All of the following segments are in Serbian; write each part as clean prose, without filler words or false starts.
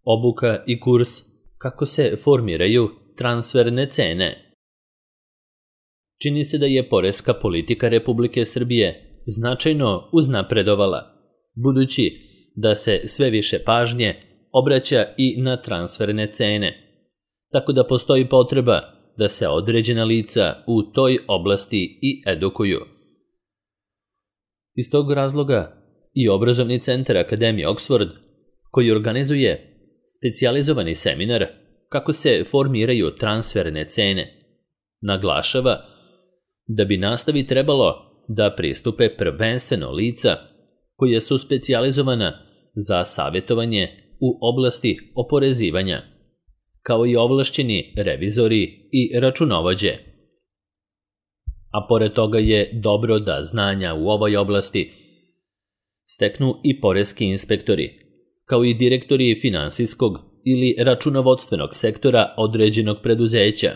Obuka i kurs kako se formiraju transferne cene. Čini se da je poreska politika Republike Srbije značajno uznapredovala, budući da se sve više pažnje obraća i na transferne cene, tako da postoji potreba da se određena lica u toj oblasti i edukuju. Iz tog razloga i obrazovni centar Akademije Oxford, koji organizuje specijalizovani seminar kako se formiraju transferne cene, naglašava da bi nastavi trebalo da pristupe prvenstveno lica koja su specijalizovana za savjetovanje u oblasti oporezivanja, kao i ovlašćeni revizori i računovođe. A pored toga je dobro da znanja u ovoj oblasti steknu i poreski inspektori, kao i direktori finansijskog ili računovodstvenog sektora određenog preduzeća,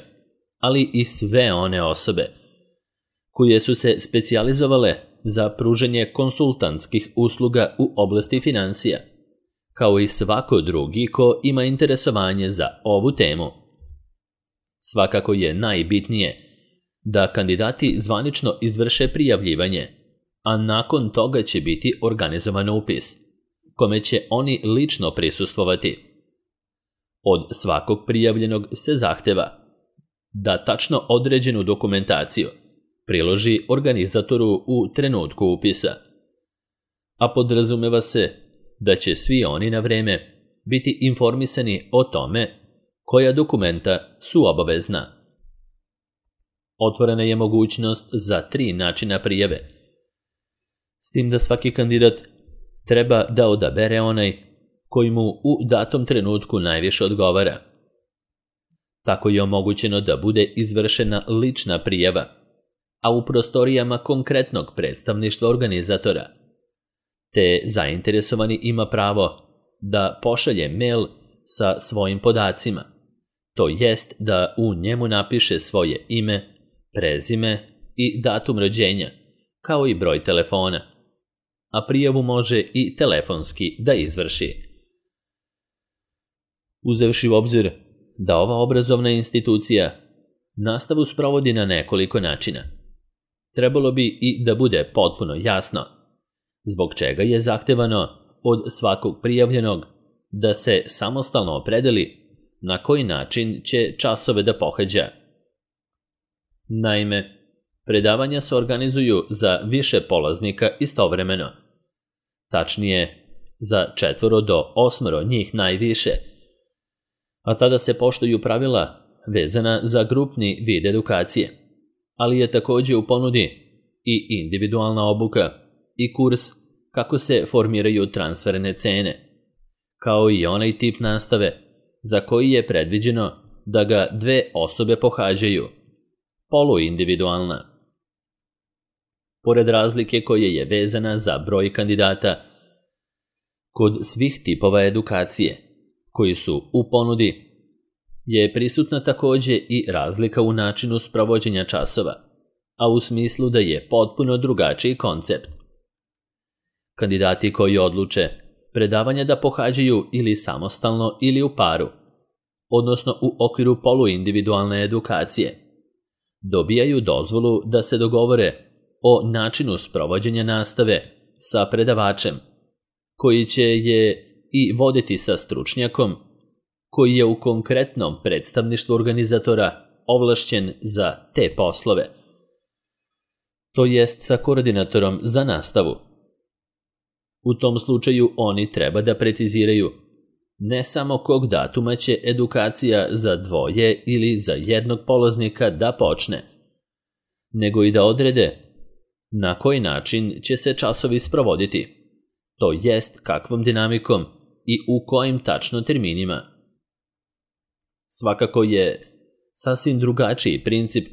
ali i sve one osobe koje su se specijalizovale za pružanje konsultantskih usluga u oblasti finansija, kao i svako drugi ko ima interesovanje za ovu temu. Svakako je najbitnije da kandidati zvanično izvrše prijavljivanje, a nakon toga će biti organizovan upis, kome će oni lično prisustvovati. Od svakog prijavljenog se zahteva da tačno određenu dokumentaciju priloži organizatoru u trenutku upisa, a podrazumeva se da će svi oni na vreme biti informisani o tome koja dokumenta su obavezna. Otvorena je mogućnost za 3 načina prijave, s tim da svaki kandidat treba da odabere onaj koji mu u datom trenutku najviše odgovara. Tako je omogućeno da bude izvršena lična prijava, a u prostorijama konkretnog predstavništva organizatora, te zainteresovani ima pravo da pošalje mail sa svojim podacima, to jest da u njemu napiše svoje ime, prezime i datum rođenja, kao i broj telefona, a prijavu može i telefonski da izvrši. Uzevši u obzir da ova obrazovna institucija nastavu sprovodi na nekoliko načina, trebalo bi i da bude potpuno jasno zbog čega je zahtevano od svakog prijavljenog da se samostalno opredeli na koji način će časove da pohađa. Naime, predavanja se organizuju za više polaznika istovremeno, tačnije za 4 do 8 njih najviše, a tada se poštuju pravila vezana za grupni vid edukacije, ali je također u ponudi i individualna obuka i kurs kako se formiraju transferne cene, kao i onaj tip nastave za koji je predviđeno da ga 2 osobe pohađaju, poluindividualna. Pored razlike koja je vezana za broj kandidata, kod svih tipova edukacije koji su u ponudi je prisutna također i razlika u načinu sprovođenja časova, a u smislu da je potpuno drugačiji koncept. Kandidati koji odluče predavanja da pohađaju ili samostalno ili u paru, odnosno u okviru poluindividualne edukacije, dobijaju dozvolu da se dogovore o načinu sprovođenja nastave sa predavačem, koji će je i voditi sa stručnjakom koji je u konkretnom predstavništvu organizatora ovlašćen za te poslove, to jest sa koordinatorom za nastavu. U tom slučaju oni treba da preciziraju ne samo kog datuma će edukacija za 2 ili za 1 polaznika da počne, nego i da odrede na koji način će se časovi sprovoditi, to jest kakvom dinamikom i u kojim tačno terminima. Svakako je sasvim drugačiji princip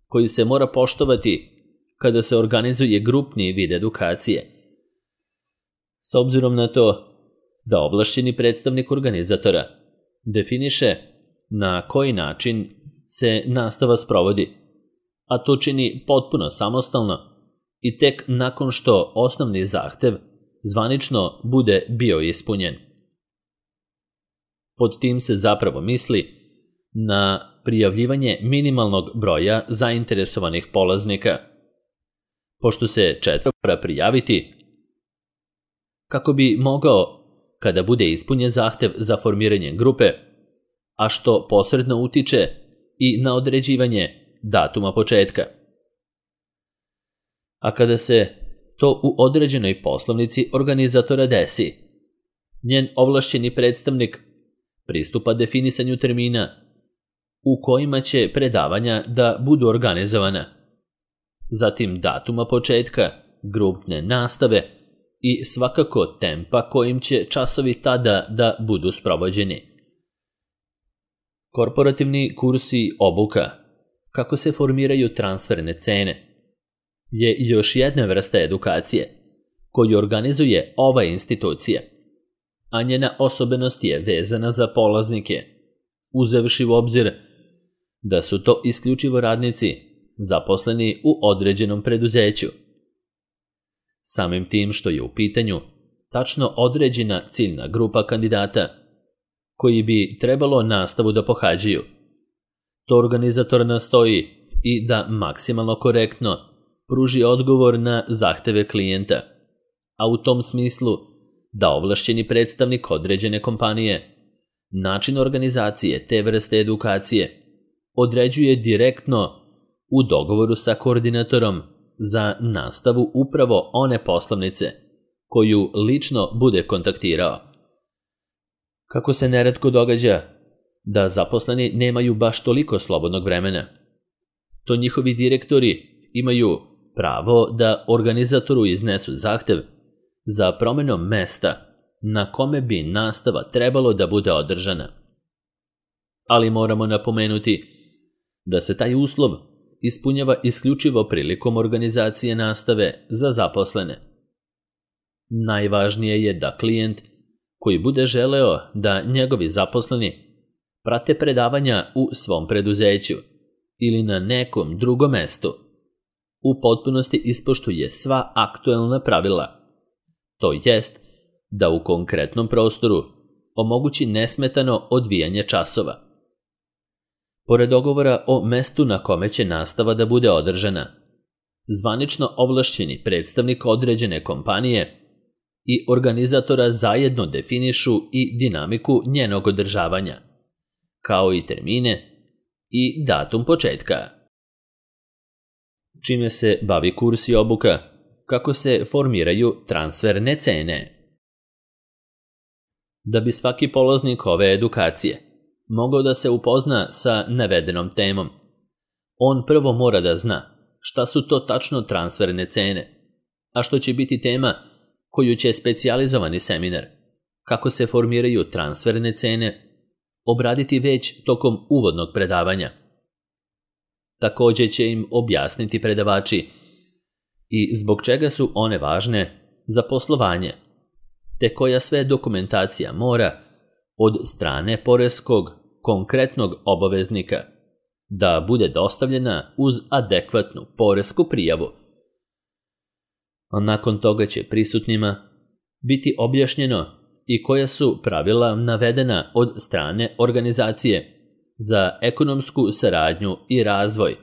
koji se mora poštovati kada se organizuje grupni vid edukacije, s obzirom na to da ovlašćeni predstavnik organizatora definiše na koji način se nastava sprovodi, a to čini potpuno samostalno i tek nakon što osnovni zahtev zvanično bude bio ispunjen. Pod tim se zapravo misli na prijavljivanje minimalnog broja zainteresovanih polaznika, pošto se 4 mora prijaviti kako bi mogao, kada bude ispunjen zahtev za formiranje grupe, a što posredno utiče i na određivanje datuma početka. A kada se to u određenoj poslovnici organizatora desi, njen ovlašćeni predstavnik pristupa definisanju termina u kojima će predavanja da budu organizovana, zatim datuma početka, grupne nastave i svakako tempa kojim će časovi tada da budu sprovođeni. Korporativni kursi obuka, kako se formiraju transferne cene, je još jedna vrsta edukacije koju organizuje ova institucija, a njena osobenost je vezana za polaznike, uzevši u obzir da su to isključivo radnici zaposleni u određenom preduzeću. Samim tim što je u pitanju tačno određena ciljna grupa kandidata koji bi trebalo nastavu da pohađaju, to organizator nastoji i da maksimalno korektno pruži odgovor na zahteve klijenta, a u tom smislu da ovlašćeni predstavnik određene kompanije način organizacije te vrste edukacije određuje direktno u dogovoru sa koordinatorom za nastavu upravo one poslovnice koju lično bude kontaktirao. Kako se neretko događa da zaposleni nemaju baš toliko slobodnog vremena, to njihovi direktori imaju pravo da organizatoru iznesu zahtev za promjenom mesta na kome bi nastava trebalo da bude održana. Ali moramo napomenuti da se taj uslov ispunjava isključivo prilikom organizacije nastave za zaposlene. Najvažnije je da klijent koji bude želeo da njegovi zaposleni prate predavanja u svom preduzeću ili na nekom drugom mestu, u potpunosti ispoštuje sva aktuelna pravila, to jest da u konkretnom prostoru omogući nesmetano odvijanje časova. Pored dogovora o mestu na kome će nastava da bude održana, zvanično ovlašćeni predstavnik određene kompanije i organizatora zajedno definišu i dinamiku njenog održavanja, kao i termine i datum početka. Čime se bavi kurs i obuka, kako se formiraju transferne cene. Da bi svaki polaznik ove edukacije mogao da se upozna sa navedenom temom, on prvo mora da zna šta su to tačno transferne cene, a što će biti tema koju će specijalizovani seminar, kako se formiraju transferne cene, obraditi već tokom uvodnog predavanja. Također će im objasniti predavači i zbog čega su one važne za poslovanje, te koja sve dokumentacija mora od strane poreskog konkretnog obaveznika da bude dostavljena uz adekvatnu poresku prijavu. A nakon toga će prisutnima biti objašnjeno i koja su pravila navedena od strane organizacije za ekonomsku saradnju i razvoj,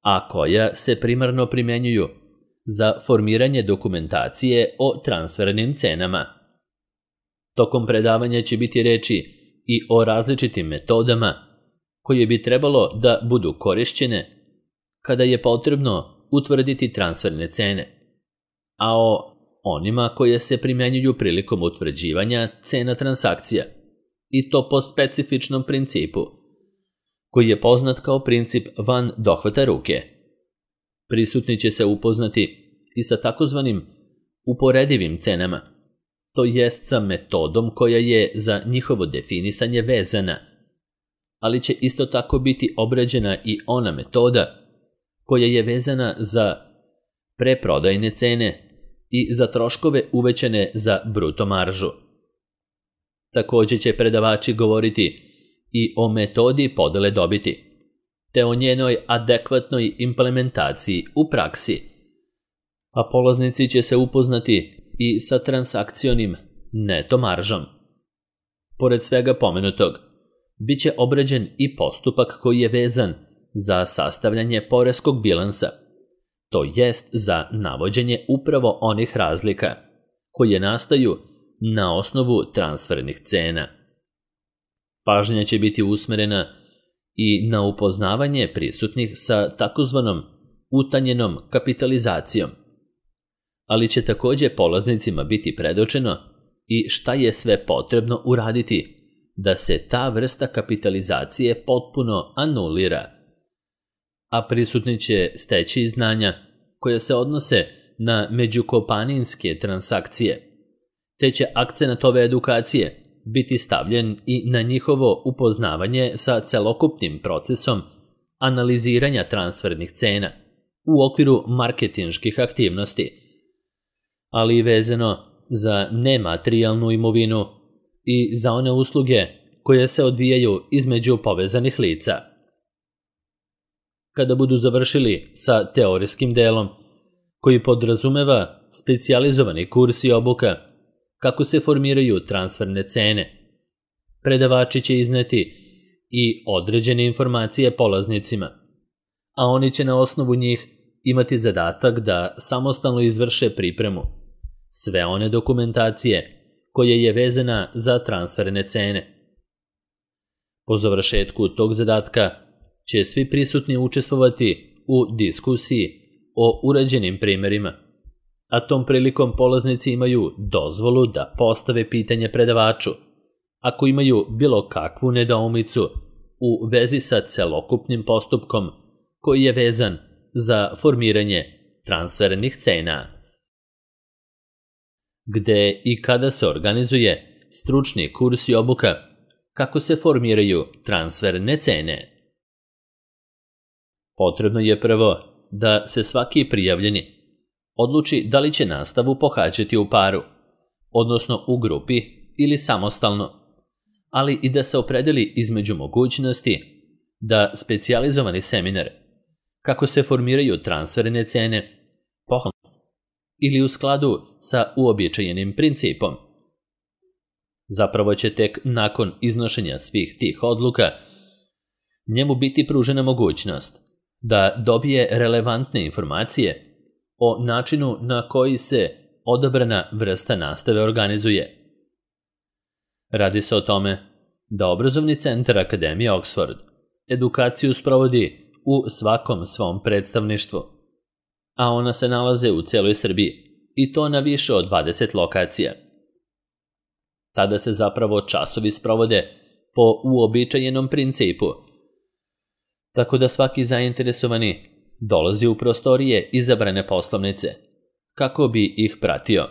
a koja se primarno primjenjuju za formiranje dokumentacije o transfernim cenama. Tokom predavanja će biti reči i o različitim metodama koje bi trebalo da budu korišćene kada je potrebno utvrditi transferne cene, a o onima koje se primjenjuju prilikom utvrđivanja cena transakcija, i to po specifičnom principu, koji je poznat kao princip van dohvata ruke. Prisutni će se upoznati i sa takozvanim uporedivim cenama, to jest sa metodom koja je za njihovo definisanje vezana, ali će isto tako biti obrađena i ona metoda koja je vezana za preprodajne cene i za troškove uvećane za bruto maržu. Također će predavači govoriti i o metodi podele dobiti, te o njenoj adekvatnoj implementaciji u praksi, a polaznici će se upoznati i sa transakcionim neto maržom. Pored svega pomenutog, bit će obrađen i postupak koji je vezan za sastavljanje poreskog bilansa, to jest za navođenje upravo onih razlika koje nastaju na osnovu transfernih cena. Pažnja će biti usmerena i na upoznavanje prisutnih sa takozvanom utanjenom kapitalizacijom, ali će također polaznicima biti predočeno i šta je sve potrebno uraditi da se ta vrsta kapitalizacije potpuno anulira, a prisutni će steći znanja koja se odnose na međukompanijske transakcije, te će akcenat ove edukacije biti stavljen i na njihovo upoznavanje sa celokupnim procesom analiziranja transfernih cena u okviru marketinških aktivnosti, ali i vezano za nematerijalnu imovinu i za one usluge koje se odvijaju između povezanih lica. Kada budu završili sa teorijskim delom, koji podrazumeva specijalizovani kurs i obuka kako se formiraju transferne cene, predavači će izneti i određene informacije polaznicima, a oni će na osnovu njih imati zadatak da samostalno izvrše pripremu sve one dokumentacije koja je vezana za transferne cene. Po završetku tog zadatka će svi prisutni učestvovati u diskusiji o urađenim primjerima, a tom prilikom polaznici imaju dozvolu da postave pitanje predavaču ako imaju bilo kakvu nedoumicu u vezi sa celokupnim postupkom koji je vezan za formiranje transfernih cena. Gde i kada se organizuje stručni kurs i obuka kako se formiraju transferne cene? Potrebno je prvo da se svaki prijavljeni odluči da li će nastavu pohađati u paru, odnosno u grupi ili samostalno, ali i da se opredeli između mogućnosti da specijalizovani seminar kako se formiraju transferne cene pohađa ili u skladu sa uobičajenim principom. Zapravo će tek nakon iznošenja svih tih odluka njemu biti pružena mogućnost da dobije relevantne informacije o načinu na koji se odabrana vrsta nastave organizuje. Radi se o tome da obrazovni centar Akademije Oxford edukaciju sprovodi u svakom svom predstavništvu, a ona se nalaze u cijeloj Srbiji i to na više od 20 lokacija. Tada se zapravo časovi sprovode po uobičajenom principu, tako da svaki zainteresovani dolazi u prostorije izabrane poslovnice kako bi ih pratio.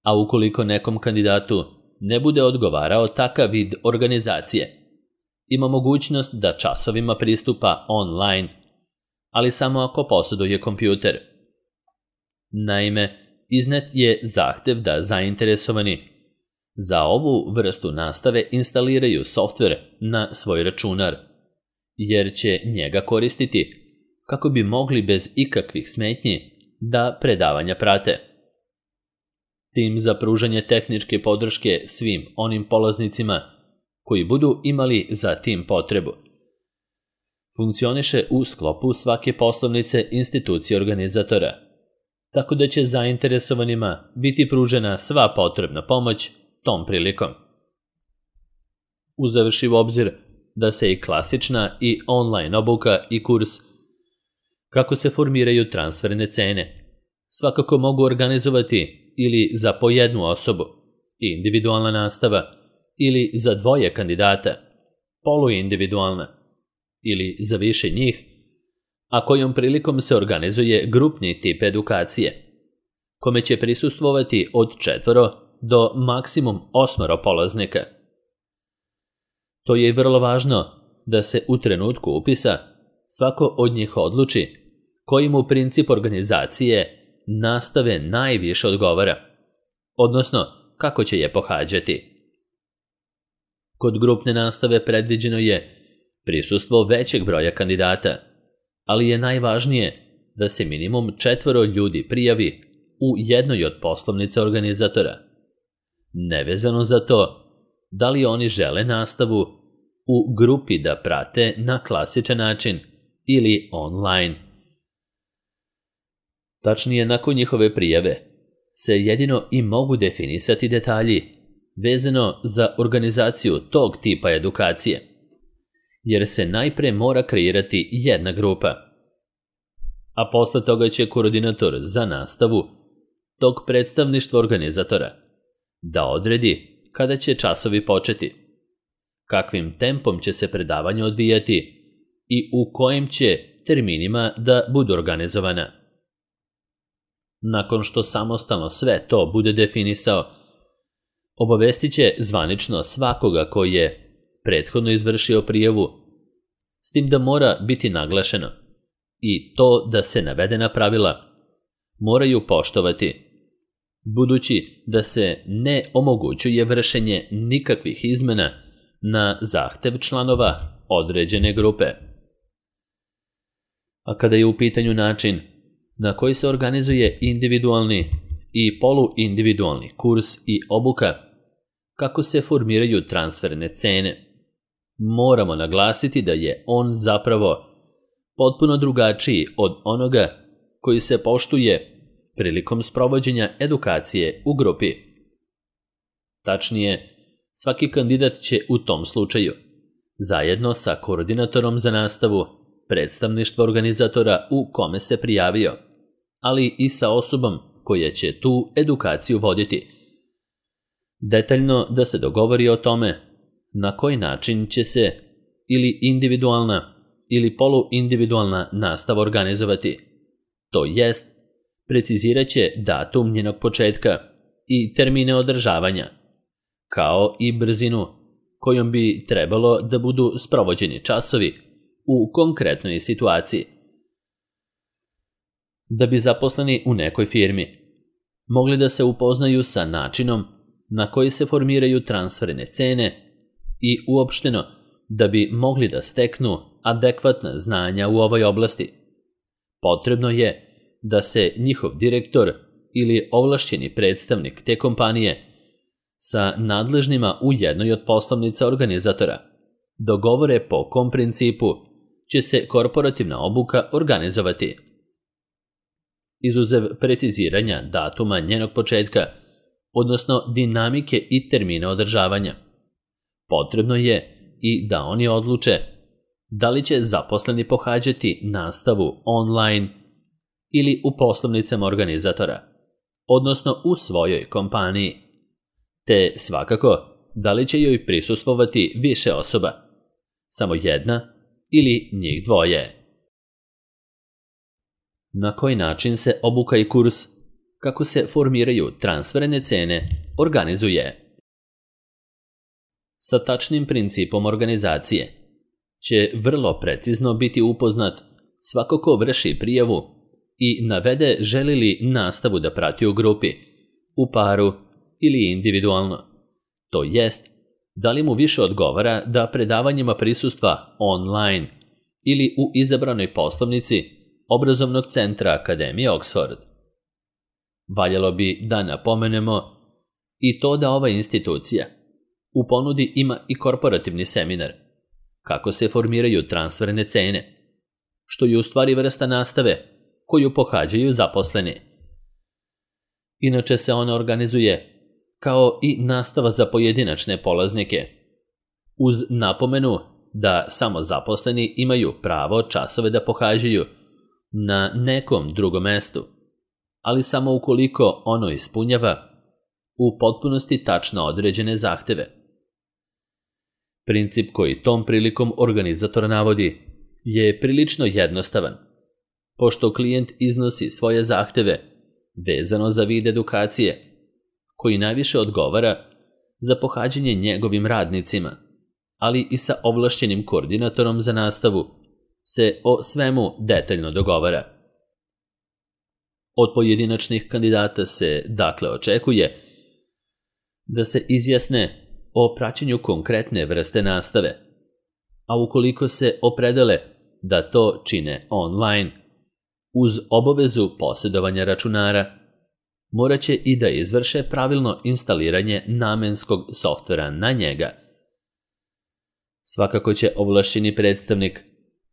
A ukoliko nekom kandidatu ne bude odgovarao takav vid organizacije, ima mogućnost da časovima pristupa online, ali samo ako posjeduje kompjuter. Naime, iznet je zahtev da zainteresovani za ovu vrstu nastave instaliraju softver na svoj računar, jer će njega koristiti kako bi mogli bez ikakvih smetnji da predavanja prate. Tim za pružanje tehničke podrške svim onim polaznicima koji budu imali za tim potrebu funkcioniše u sklopu svake poslovnice institucije organizatora, tako da će zainteresovanima biti pružena sva potrebna pomoć tom prilikom. Uzevši u obzir da se i klasična i online obuka i kurs kako se formiraju transferne cene svakako mogu organizovati ili za po jednu osobu, individualna nastava, ili za dvoje kandidata, poluindividualna, ili za više njih, a kojom prilikom se organizuje grupni tip edukacije, kome će prisustvovati od 4 do maksimum 8 polaznika. To je vrlo važno da se u trenutku upisa svako od njih odluči koji mu princip organizacije nastave najviše odgovara, odnosno kako će je pohađati. Kod grupne nastave predviđeno je prisustvo većeg broja kandidata, ali je najvažnije da se minimum 4 ljudi prijavi u jednoj od poslovnica organizatora. Nevezano za to, da li oni žele nastavu u grupi da prate na klasičan način ili online. Tačnije, nakon njihove prijave se jedino i mogu definisati detalji vezano za organizaciju tog tipa edukacije, jer se najpre mora kreirati jedna grupa, a posle toga će koordinator za nastavu tog predstavništva organizatora da odredi kada će časovi početi, kakvim tempom će se predavanje odvijati i u kojim će terminima da budu organizovana. Nakon što samostalno sve to bude definisao, obavestit će zvanično svakoga koji je prethodno izvršio prijavu, s tim da mora biti naglašeno i to da se navedena pravila moraju poštovati, budući da se ne omogućuje vršenje nikakvih izmena na zahtev članova određene grupe. A kada je u pitanju način na koji se organizuje individualni i poluindividualni kurs i obuka, kako se formiraju transferne cene, moramo naglasiti da je on zapravo potpuno drugačiji od onoga koji se poštuje prilikom sprovođenja edukacije u grupi. Tačnije, svaki kandidat će u tom slučaju, zajedno sa koordinatorom za nastavu, predstavništvo organizatora u kome se prijavio, ali i sa osobom koja će tu edukaciju voditi, detaljno da se dogovori o tome na koji način će se ili individualna ili poluindividualna nastava organizovati, to jest precizirat će datum njenog početka i termine održavanja, kao i brzinu kojom bi trebalo da budu sprovođeni časovi u konkretnoj situaciji. Da bi zaposleni u nekoj firmi mogli da se upoznaju sa načinom na koji se formiraju transferne cene i uopšteno da bi mogli da steknu adekvatna znanja u ovoj oblasti, potrebno je da se njihov direktor ili ovlašćeni predstavnik te kompanije sa nadležnima u jednoj od poslovnica organizatora dogovore po kom principu će se korporativna obuka organizovati. Izuzev preciziranja datuma njenog početka, odnosno dinamike i termina održavanja, potrebno je i da oni odluče da li će zaposleni pohađati nastavu online ili u poslovnicama organizatora, odnosno u svojoj kompaniji, te svakako da li će joj prisustvovati više osoba, samo jedna ili njih dvoje. Na koji način se obuka i kurs, kako se formiraju transferne cene, organizuje? Sa tačnim principom organizacije će vrlo precizno biti upoznat svako ko vrši prijavu i navede želi li nastavu da prati u grupi, u paru ili individualno. To jest, da li mu više odgovara da predavanjima prisustva online ili u izabranoj poslovnici Obrazovnog centra Akademije Oxford. Valjalo bi da napomenemo i to da ova institucija u ponudi ima i korporativni seminar, kako se formiraju transferne cene, što je u stvari vrsta nastave koju pohađaju zaposleni. Inače se ona organizuje kao i nastava za pojedinačne polaznike, uz napomenu da samo zaposleni imaju pravo časove da pohađaju na nekom drugom mestu, ali samo ukoliko ono ispunjava u potpunosti tačno određene zahteve. Princip koji tom prilikom organizator navodi je prilično jednostavan, pošto klijent iznosi svoje zahteve vezano za vid edukacije, koji najviše odgovara za pohađanje njegovim radnicima, ali i sa ovlašćenim koordinatorom za nastavu se o svemu detaljno dogovara. Od pojedinačnih kandidata se dakle očekuje da se izjasne o praćenju konkretne vrste nastave, a ukoliko se opredele da to čine online, uz obavezu posjedovanja računara, morat će i da izvrše pravilno instaliranje namenskog softvera na njega. Svakako će ovlašćeni predstavnik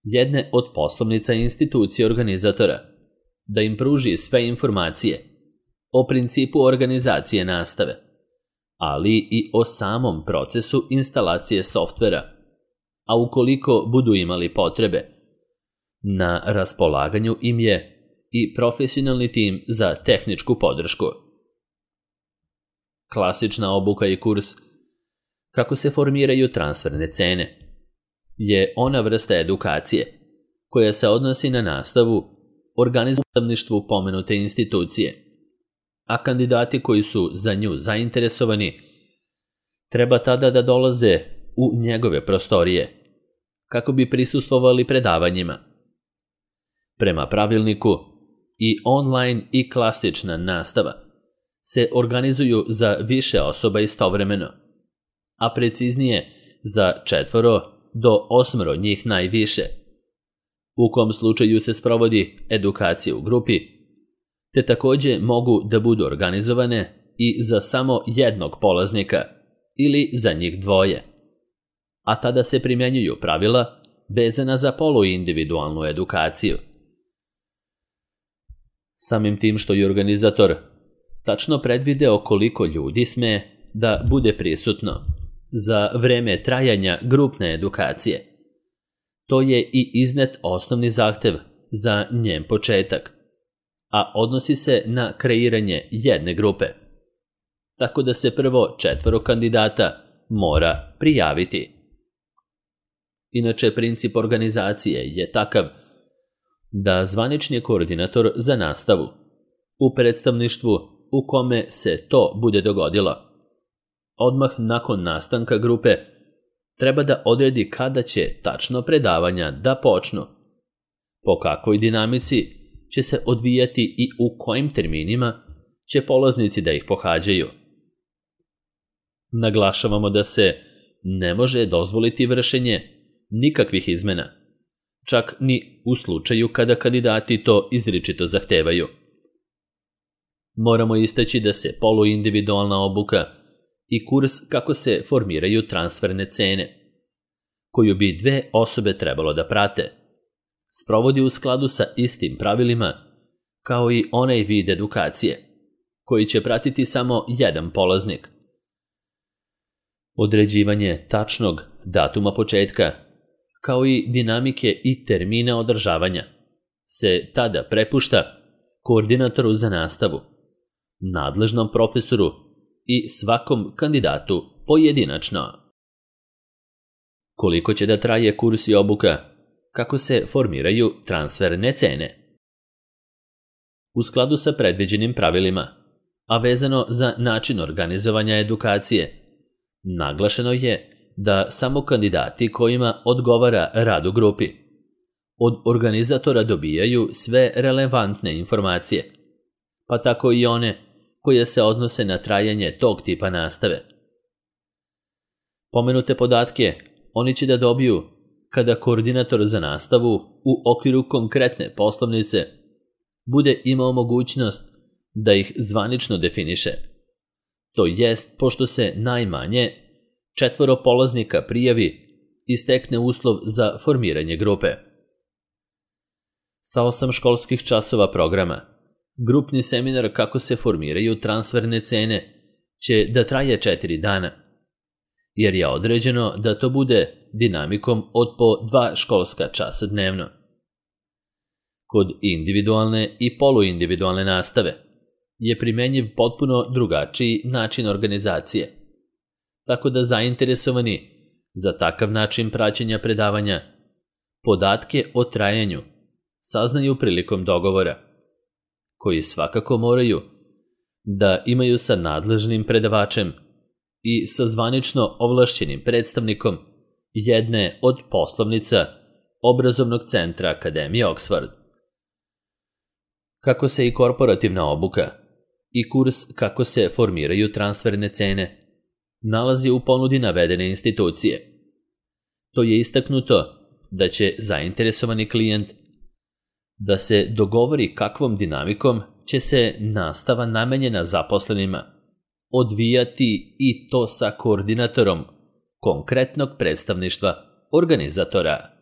jedne od poslovnica institucije organizatora da im pruži sve informacije o principu organizacije nastave, ali i o samom procesu instalacije softvera, a ukoliko budu imali potrebe, na raspolaganju im je i profesionalni tim za tehničku podršku. Klasična obuka i kurs kako se formiraju transferne cene je ona vrsta edukacije koja se odnosi na nastavu organizatorstvu pomenute institucije, a kandidati koji su za nju zainteresovani treba tada da dolaze u njegove prostorije kako bi prisustvovali predavanjima. Prema pravilniku, i online i klasična nastava se organizuju za više osoba istovremeno, a preciznije za 4 do 8 njih najviše, u kom slučaju se sprovodi edukacija u grupi, te takođe mogu da budu organizovane i za samo jednog polaznika ili za njih dvoje, a tada se primjenjuju pravila vezana za poluindividualnu edukaciju. Samim tim što je organizator tačno predvideo koliko ljudi sme da bude prisutno za vreme trajanja grupne edukacije, to je i iznet osnovni zahtev za njen početak, a odnosi se na kreiranje jedne grupe, tako da se prvo 4 kandidata mora prijaviti. Inače, princip organizacije je takav da zvanični koordinator za nastavu u predstavništvu u kome se to bude dogodilo, odmah nakon nastanka grupe, treba da odredi kada će tačno predavanja da počnu, po kakvoj dinamici će se odvijati i u kojim terminima će polaznici da ih pohađaju. Naglašavamo da se ne može dozvoliti vršenje nikakvih izmena, čak ni u slučaju kada kandidati to izričito zahtevaju. Moramo istaći da se poluindividualna obuka i kurs kako se formiraju transferne cene, koju bi 2 osobe trebalo da prate, sprovodi u skladu sa istim pravilima kao i onaj vid edukacije, koji će pratiti samo jedan polaznik. Određivanje tačnog datuma početka, kao i dinamike i termina održavanja, se tada prepušta koordinatoru za nastavu, nadležnom profesoru i svakom kandidatu pojedinačno. Koliko će da traje kurs i obuka, kako se formiraju transferne cene? U skladu sa predviđenim pravilima, a vezano za način organizovanja edukacije, naglašeno je da samo kandidati kojima odgovara rad u grupi od organizatora dobijaju sve relevantne informacije, pa tako i one koje se odnose na trajanje tog tipa nastave. Pomenute podatke oni će da dobiju kada koordinator za nastavu u okviru konkretne poslovnice bude imao mogućnost da ih zvanično definiše. To jest, pošto se najmanje 4 polaznika prijavi i stekne uslov za formiranje grupe. Sa 8 školskih časova programa, grupni seminar kako se formiraju transferne cene će da traje 4 dana, jer je određeno da to bude dinamikom od po 2 školska časa dnevno. Kod individualne i poluindividualne nastave je primenjiv potpuno drugačiji način organizacije, tako da zainteresovani za takav način praćenja predavanja podatke o trajanju saznaju prilikom dogovora, koji svakako moraju da imaju sa nadležnim predavačem i sa zvanično ovlašćenim predstavnikom jedne od poslovnica obrazovnog centra Akademije Oxford. Kako se i korporativna obuka i kurs kako se formiraju transferne cene nalazi u ponudi navedene institucije, to je istaknuto da će zainteresovani klijent da se dogovori kakvom dinamikom će se nastava namenjena zaposlenima odvijati i to sa koordinatorom konkretnog predstavništva organizatora.